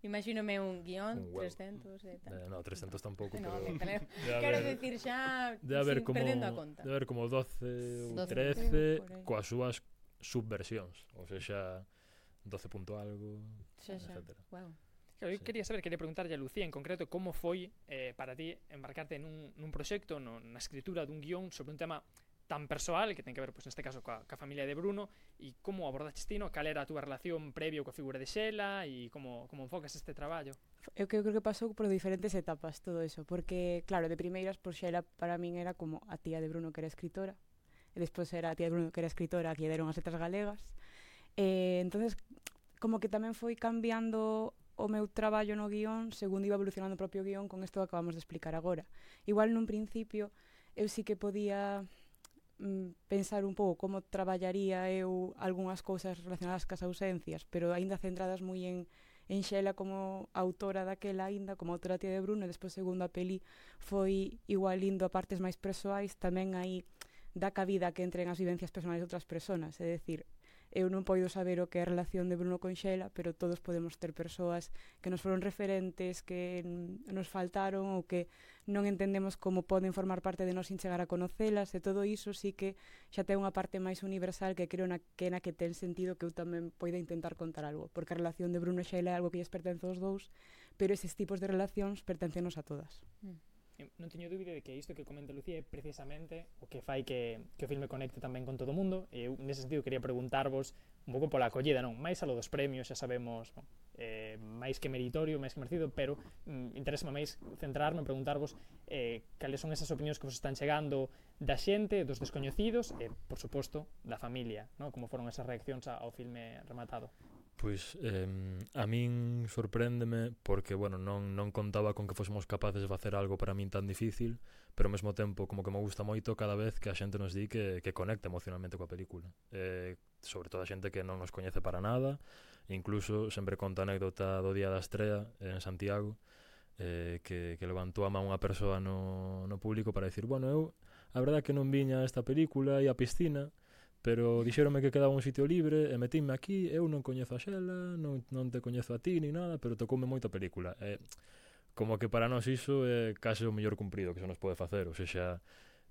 Imagínome un guión, Un huevo. trescentos e tal. Eh, no, trescentos tampouco, No, pero... pero de quero haber- decir xa de haber sin como, perdendo a conta. de haber como doce ou doce, trece por aí. coas súas subversións, ou seja, doce punto algo, Xa, xa. etcétera. Wow. Claro, eu quería saber, quería preguntarlle a Lucía en concreto como foi eh, para ti embarcarte nun, nun proxecto, no, na escritura dun guión sobre un tema tan persoal que ten que ver, pois, neste caso, coa, coa familia de Bruno, e como abordaches ti, no? Cal era a túa relación previo coa figura de Xela e como, como enfocas este traballo? Eu creo que pasou por diferentes etapas todo eso, porque, claro, de primeiras, por Xela para min era como a tía de Bruno que era escritora, e despois era a tía de Bruno que era escritora, a que lle deron as letras galegas, e entonces como que tamén foi cambiando o meu traballo no guión segundo iba evolucionando o propio guión con isto que acabamos de explicar agora. Igual nun principio eu sí que podía mm, pensar un pouco como traballaría eu algunhas cousas relacionadas cas ausencias, pero aínda centradas moi en en Xela como autora daquela aínda, como autora tía de Bruno, e despois segundo a peli foi igual indo a partes máis persoais, tamén aí dá cabida que entren as vivencias personais de outras persoas, é dicir, eu non podo saber o que é a relación de Bruno con Xela, pero todos podemos ter persoas que nos foron referentes, que nos faltaron ou que non entendemos como poden formar parte de nós sin chegar a conocelas, e todo iso sí que xa ten unha parte máis universal que creo na que, na que ten sentido que eu tamén poida intentar contar algo, porque a relación de Bruno e Xela é algo que lles pertence aos dous, pero eses tipos de relacións pertencenos a todas. Mm. Eu non teño dúbida de que isto que comenta Lucía é precisamente o que fai que, que o filme conecte tamén con todo o mundo, e eu nese sentido quería preguntarvos un pouco pola acollida, non? Máis a lo dos premios, xa sabemos, bon, eh, máis que meritorio, máis que merecido, pero mm, interésame máis centrarme en preguntarvos eh, cales son esas opinións que vos están chegando da xente, dos descoñecidos e, por suposto, da familia, non? Como foron esas reaccións ao filme rematado. Pois eh, a min sorpréndeme porque, bueno, non, non contaba con que fósemos capaces de facer algo para min tan difícil, pero ao mesmo tempo como que me gusta moito cada vez que a xente nos di que, que conecta emocionalmente coa película. Eh, sobre todo a xente que non nos coñece para nada, incluso sempre conto a anécdota do día da estrea en Santiago, eh, que, que levantou a man unha persoa no, no público para dicir, bueno, eu a verdade que non viña a esta película e a piscina, pero dixéronme que quedaba un sitio libre e metínme aquí, eu non coñezo a Xela, non, non te coñezo a ti ni nada, pero tocoume moito a película. E como que para nós iso é case o mellor cumprido que se nos pode facer, ou seja,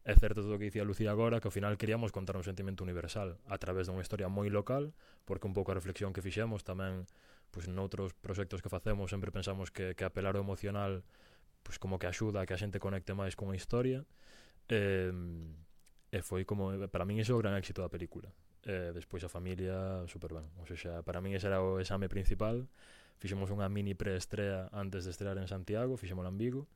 é certo todo o que dicía Lucía agora, que ao final queríamos contar un sentimento universal a través dunha historia moi local, porque un pouco a reflexión que fixemos tamén, pois noutros proxectos que facemos sempre pensamos que, que apelar ao emocional pois como que axuda a que a xente conecte máis con a historia, e... E foi como, para min iso é o gran éxito da película. E despois a familia, super ben. O sea, para min ese era o exame principal. Fixemos unha mini preestrea antes de estrear en Santiago, fixémola en Vigo,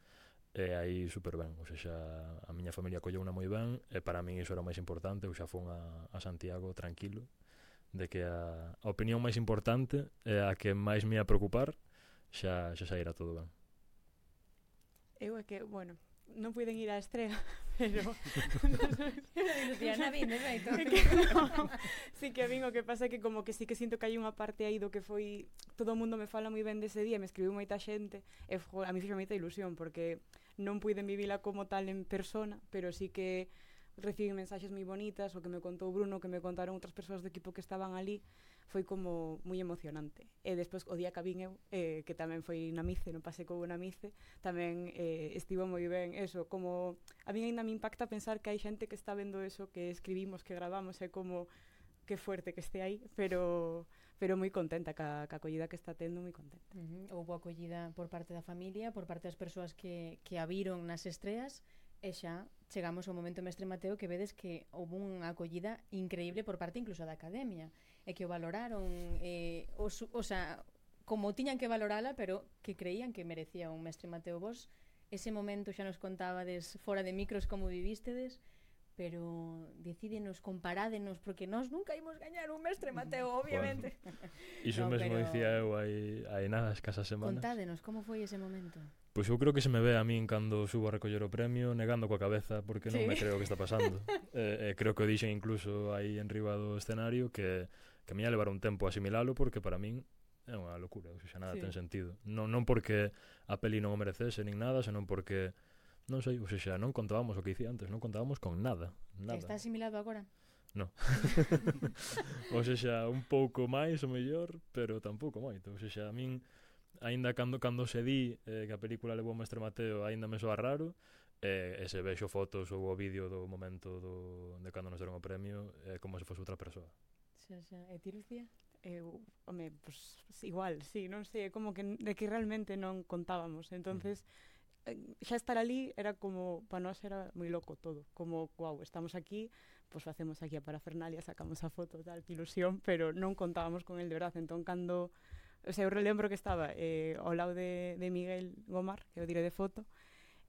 e aí super ben. O sea, a miña familia colleu unha moi ben, e para min iso era o máis importante. Eu xa fun a, a Santiago tranquilo, de que a, a opinión máis importante é a que máis me ia preocupar, xa, xa saíra todo ben. Eu é que, bueno, non puiden ir á estrea, pero Luciana vin, de feito. sí que a min o que pasa é que como que sí que sinto que hai unha parte aí do que foi todo o mundo me fala moi ben dese día, me escribiu moita xente e jo, a mí fixo moita ilusión porque non puiden vivila como tal en persona, pero sí que recibí mensaxes moi bonitas, o que me contou Bruno, que me contaron outras persoas do equipo que estaban ali, foi como moi emocionante. E despois o día que vin eu, eh, que tamén foi na Mice, non pasei como na Mice, tamén eh, estivo moi ben eso, como a mí ainda me impacta pensar que hai xente que está vendo eso que escribimos, que gravamos, é como que fuerte que este aí, pero pero moi contenta ca, ca acollida que está tendo, moi contenta. Uh-huh. Houbo acollida por parte da familia, por parte das persoas que, que a viron nas estreas, e xa chegamos ao momento Mestre Mateo que vedes que houve unha acollida increíble por parte incluso da academia e que o valoraron eh, os, o sea, como tiñan que valorala, pero que creían que merecía un Mestre Mateo. Vos ese momento xa nos contábades fora de micros como vivístedes, pero decídenos, comparádenos, porque nós nunca ímos gañar un Mestre Mateo, obviamente. Iso No, mesmo pero... dicía eu hai, hai nada, escasas semanas. Contádenos, como foi ese momento? Pois eu creo que se me ve a min cando subo a recoller o premio negando coa cabeza porque non Sí. me creo que está pasando. eh, eh, creo que o dixen incluso aí en riba do escenario que, que me ia levar un tempo asimilalo porque para min é unha locura, ou seja, nada Sí. ten sentido. Non, non porque a peli non o merecese nin nada, senón porque, non sei, ou seja, non contábamos o que dicía antes, non contábamos con nada, nada. Está asimilado agora? No. Ou seja, un pouco máis o mellor, pero tampouco moito. Ou seja, a min, aínda cando, cando se di eh, que a película levou o Mestre Mateo, aínda me soa raro, eh, e se vexo fotos ou o vídeo do momento do, de cando nos deron o premio, é eh, como se fose outra persoa. Xa, xa. E ti, Lucía? Eu, home, pues, igual, sí, non sei, é como que de que realmente non contábamos. Entonces, mm. xa estar ali era como, para nós era moi loco todo, como, guau, estamos aquí, pues facemos aquí a parafernalia, sacamos a foto, tal, que ilusión, pero non contábamos con el de verdade. Entón, cando, o sea, eu relembro que estaba eh, ao lado de, de Miguel Gomar, que é o dire de foto,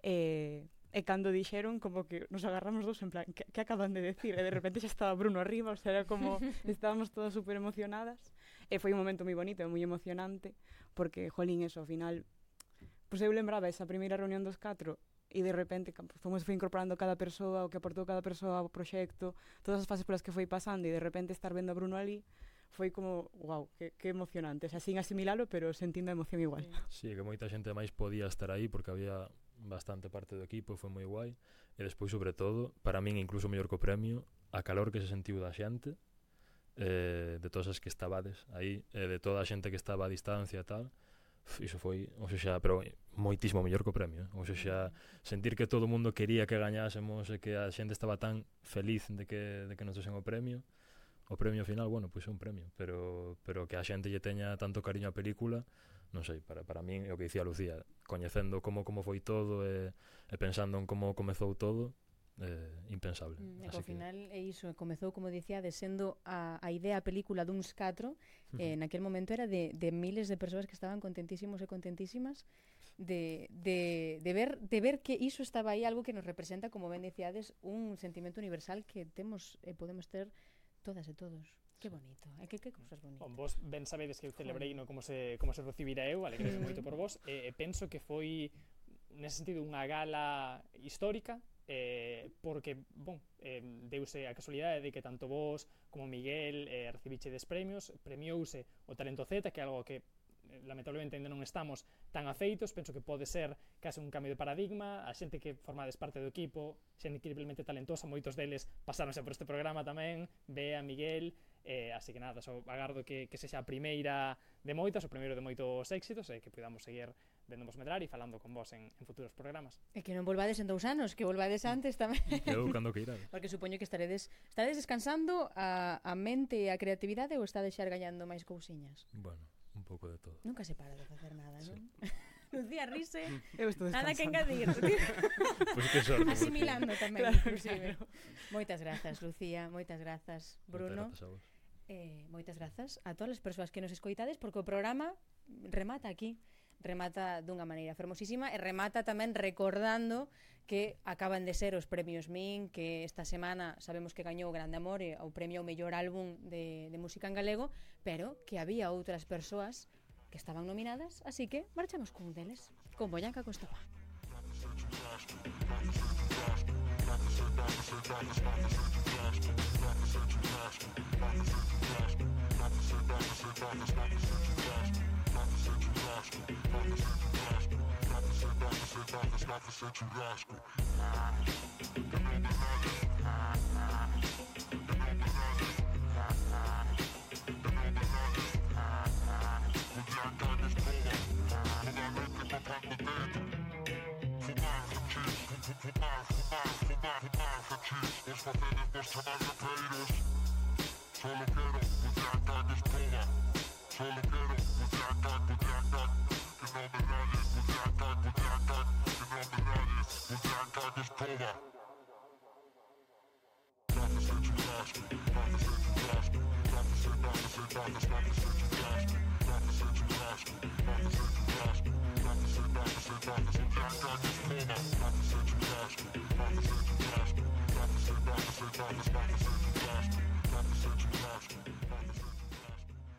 e... Eh, E cando dixeron, como que nos agarramos dos en plan, que, que acaban de decir? E de repente xa estaba Bruno arriba, o sea, era como, estábamos todas super emocionadas. E foi un momento moi bonito e moi emocionante, porque, jolín, eso, ao final, pois eu lembraba esa primeira reunión dos catro, e de repente, como se foi incorporando cada persoa, o que aportou cada persoa ao proxecto, todas as fases polas que foi pasando, e de repente estar vendo a Bruno ali, foi como, wow, que, que emocionante. O sea, sin asimilalo, pero sentindo a emoción igual. Sí, que moita xente máis podía estar aí, porque había bastante parte do equipo, foi moi guai. E despois, sobre todo, para min incluso mellor co premio, a calor que se sentiu da xente, eh, de todas as que estabades aí, e de toda a xente que estaba a distancia e tal, iso foi, ou seja, pero moitísimo mellor co premio, eh? Ou seja, sentir que todo o mundo quería que gañásemos e que a xente estaba tan feliz de que, de que nos desen o premio. O premio final, bueno, pois é un premio, pero, pero que a xente lle teña tanto cariño á película, non sei, para, para min é o que dicía Lucía, coñecendo como, como foi todo e, e pensando en como comezou todo, eh, impensable. Mm, e Así ao que... final é iso, comezou, como dicía, de sendo a, a idea a película duns catro, eh, naquel momento era de, de miles de persoas que estaban contentísimos e contentísimas de, de, de, ver, de ver que iso estaba aí, algo que nos representa, como ben dicíades, un sentimento universal que temos e podemos ter todas e todos. Que bonito, é que que cousas bonitas. Bon, vos ben sabedes que eu celebrei no como se como se recibira eu, alegrei moito por vos, e, e penso que foi nese sentido unha gala histórica, eh, porque, bon, eh, deuse a casualidade de que tanto vos como Miguel eh, recibichedes premios, premiouse o Talento Z, que é algo que lamentablemente ainda non estamos tan afeitos. Penso que pode ser case un cambio de paradigma. A xente que formades parte do equipo, xente increíblemente talentosa, moitos deles pasáronse por este programa tamén, Bea, Miguel, eh, así que nada, so agardo que, que sexa a primeira de moitas, o primeiro de moitos éxitos, e que podamos seguir vendovos medrar e falando con vos en, en futuros programas. E que non volvades en dous anos, que volvades antes tamén. Eu cando que irades. Porque supoño que estaredes, estaredes descansando a, a mente e a creatividade, ou estades xa gañando máis cousiñas? Bueno, un pouco de todo. Nunca se para de facer nada, sí. Non? Lucía rise, eu estou nada que descansando. engadir. Pues que sorte, asimilando tamén, claro, inclusive. claro. Moitas grazas, Lucía, moitas grazas, Bruno. Moitas grazas a vos. Eh, moitas grazas a todas as persoas que nos escoitades, porque o programa remata aquí, remata dunha maneira fermosísima, e remata tamén recordando que acaban de ser os premios Min, que esta semana sabemos que gañou Grande Amore, o premio ao mellor álbum de, de música en galego, pero que había outras persoas que estaban nominadas, así que marchamos con un deles, con Boyanca Costova. Solo quiero